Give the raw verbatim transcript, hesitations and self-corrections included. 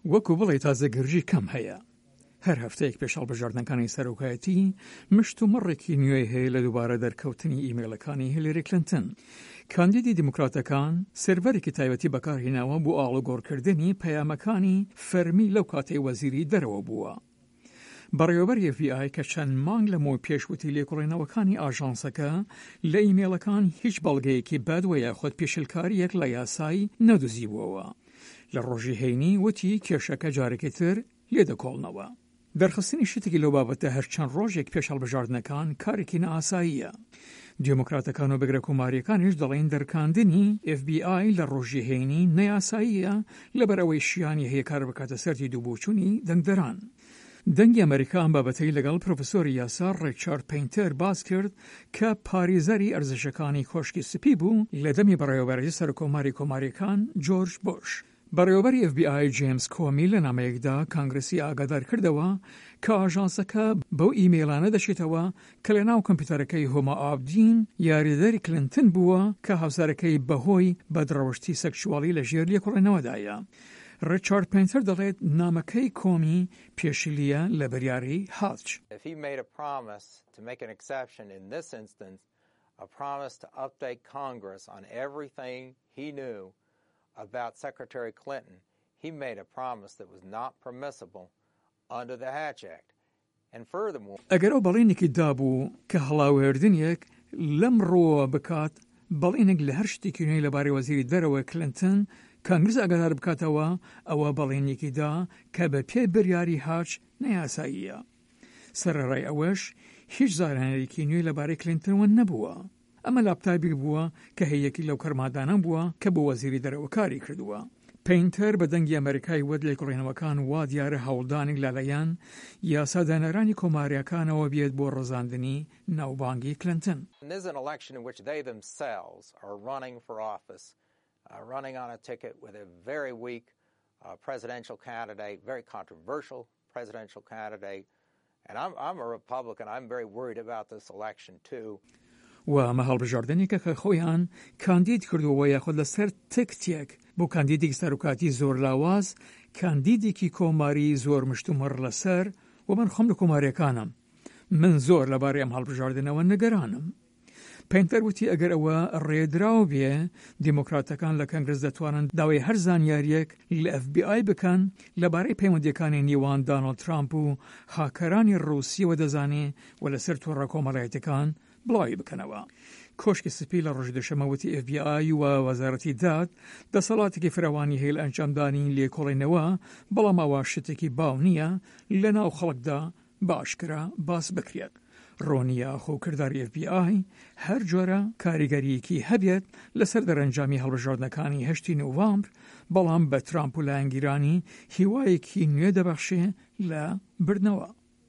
وەکو بڵێ تازە گرژی کەم هەیە. هەر هەفتەیەک پێش هەڵبژاردنەکانی سەرۆکایەتی مشت و مڕێکی نوێی هەیە لە دووبارە دەرکەوتنی ئیمەیڵەکانی هیلری کلنتن. کاندیدی دیموکراتەکان سێرڤەرێکی تایبەتی بەکارهێناوە بۆ ئاڵوگۆڕکردنی پەیامەکانی فەرمی لەو کاتەی وەزیری دەرەوە بووە. بەڕێوەبەری F B I کە چەند مانگ لەمەوە پێش وتی لێکۆڵینەوەکانی ئاژانسەکە لە ئیمەیڵەکان هیچ بەڵگەیەکی بەد وە یاخود پێشلکاریەک لە یاسای نەدۆزیبووەوە، لە ڕۆژی هەینی وتی کێشەکە جارێکی تر لێدەکۆڵنەوە. دەرخستنی شتێکی لەو بابەتە هەر چەند ڕۆژێک پێش هەڵبژاردنەکان کارێکی نائاساییە. دیموکراتەکان و بگرە کۆماریەکانیش دەڵێن دەرکاندنی F B I لە ڕۆژی هەینی نەیاساییە، لەبەر ئەوەی شیانی هەیە کار بکاتە سەر دیدوبۆچوونی دەنگدەران. دەنگی ئەمریکا ئەم بابەتەی لەگەڵ پرۆفسۆری یاسا ڕیچارد پەینتەر باس کرد کە پارێزەری ئەرزشەکانی کۆشکی سپی بوو لە دەمی بەڕێوەبەرەتی سەرۆککۆماری کۆماریەکان جۆرج بوش. بەڕێوەبەری F B I جێمس کۆمی لە نامەیەکدا کانگرسی ئاگادار کردەوە کە ئاژانسەکە بەو ئیمەیڵانە دەچێتەوە کە لە ناو کۆمپیوتەرەکەی هۆما ئابدین، یاریدەری کلنتن بووە کە هاوسەرەکەی بەهۆی بەدڕەوشتی سێکسوالی لە ژێر لێکۆڵینەوەدایە. ڕیچارد پەینتەر دەڵێت نامەکەی کۆمی پێشلیە لە بریاری هاتچ. If he made a promise to make an exception in this instance, a promise to update Congress on everything he knew about Secretary Clinton, he made a promise that was not permissible under the Hatch Act. And furthermore, ئەگەر ئەو بەڵێنێکی دابوو کە هەڵاوێردنێک لەم ڕووەوە بکات، بەڵێنێک لە هەر شتێکی نوێی لەبارەی وەزیری دەرەوە کلنتن کانگرس ئاگادار بکاتەوە، ئەوە بەڵێنێکی دا کە بە پێی بریاری هاچ نەیاساییە. سەرەڕای ئەوەش هیچ زانیاریەکی نوێی لەبارەی کلینتنەوە نەبووە. ئەمە لاپتاپێک بووە کە هەیەکی لەو کەرمادانە بووە کە بۆ وەزیری دەرەوە کاری کردووە. پەینتەر بە دەنگی ئەمریکای وت لێکۆڵینەوەکان وا دیارە هەوڵدانێک لەلایەن یاسادانەرانی کۆماریەکانەوە بێت بۆ ڕزاندنی ناوبانگی کلنتن. And this is an election in which they themselves are running for office, uh, running on a ticket with a very weak uh, presidential candidate, very controversial presidential candidate. And I'm, I'm a Republican. I'm very worried about this election, too. و ئەمە هەڵبژاردنێکە کە خۆیان کاندید کردووە یاخود لەسەر تکتێک بۆ کاندیدێکی سەرۆکاتی زۆر لاواز، کاندیدێکی کۆماری زۆر مشتومڕ لەسەر، و من خۆم لە کۆماریەکانم، من زۆر لەبارەی ئەم هەڵبژاردنەوە نگەرانم. پەینتەر وتی ئەگەر ئەوە ڕێدراو بێ، دیموکراتەکان لە کەنگرس دەتوانن داوای هەر زانیاریەک لە F B I بکەن لەبارەی پەیوەندیەکانی نێوان داناڵد ترامپ و هاکەرانی ڕووسیەوە دەزانێ و لەسەر تۆڕە کۆمەڵایەتەکان بڵاوی بکەنەوە. کۆشکی سپی لە ڕۆژی دوشەممە وتی F B I و وەزارەتی داد دەسەڵاتێکی فراوانی هەیە لە ئەنجامدانی لێکۆڵینەوە، بەڵام ئەوە شتێکی باو نییە لە ناو خەڵکدا باشکرا باس بکرێت. ڕۆنیە خۆ کرداری F B I هەر جۆرە کاریگەریەکی هەبێت لەسەر دەرەنجامی هەڵبژاردنەکانی هەشتی نوڤامبر، بەڵام بە ترامپ و لایەنگیرانی هیوایەکی نوێ دەبەخشێ لە بردنەوە.